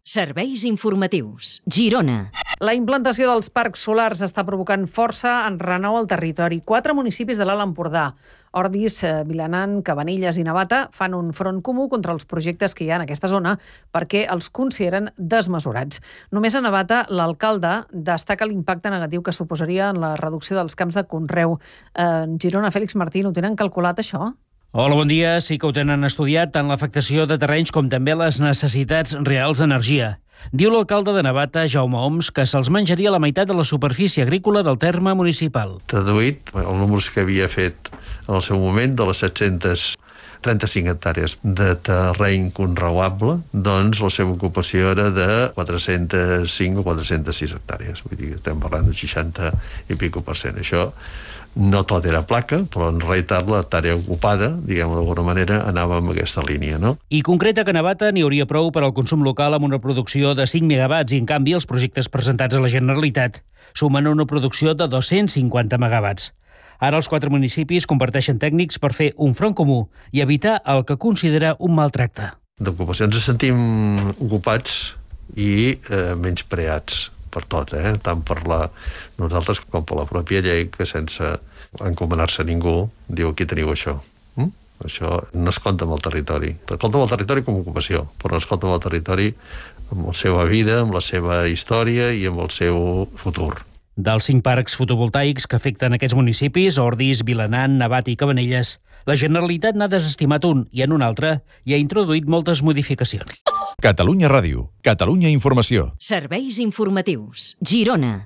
Serveis informatius. Girona. La implantació dels parcs solars està provocant força en renou al territori. 4 municipis de l'Alt Empordà, Ordis, Vilanant, Cabanilles i Navata, fan un front comú contra els projectes que hi ha en aquesta zona perquè els consideren desmesurats. Només a Navata, l'alcalde destaca l'impacte negatiu que suposaria en la reducció dels camps de conreu. Girona, Fèlix Martín, ho tenen calculat, això? Hola, bon dia. Sí que ho tenen estudiat, tant l'afectació de terrenys com també les necessitats reals d'energia. Diu l'alcalde de Navata, Jaume Oms, que se'ls menjaria la meitat de la superfície agrícola del terme municipal. Traduït el número que havia fet en el seu moment de les 735 hectàrees de terreny conreuable, doncs la seva ocupació era de 405 o 406 hectàrees. Vull dir, estem parlant de 60 i pico %. Això no tot era placa, però en realitat la tàrea ocupada, diguem-ho d'alguna manera, anava en aquesta línia, no? I concreta que a Navata n'hi hauria prou per al consum local amb una producció de 5 megawatts i, en canvi, els projectes presentats a la Generalitat sumen una producció de 250 megawatts. Ara els 4 municipis comparteixen tècnics per fer un front comú i evitar el que considera un maltracte. D'ocupació ens sentim ocupats i menyspreats per tot, tant per nosaltres com per la pròpia llei, que sense encomanar-se a ningú diu aquí teniu això. Això no es compta amb el territori. Es compta amb el territori com a ocupació, però no es compta amb el territori amb la seva vida, amb la seva història i amb el seu futur. Dels 5 parcs fotovoltaics que afecten aquests municipis, Ordis, Vilanant, Navata i Cabanelles, la Generalitat n'ha desestimat un i en un altre hi ha introduït moltes modificacions. Catalunya Ràdio, Catalunya Informació. Serveis informatius. Girona.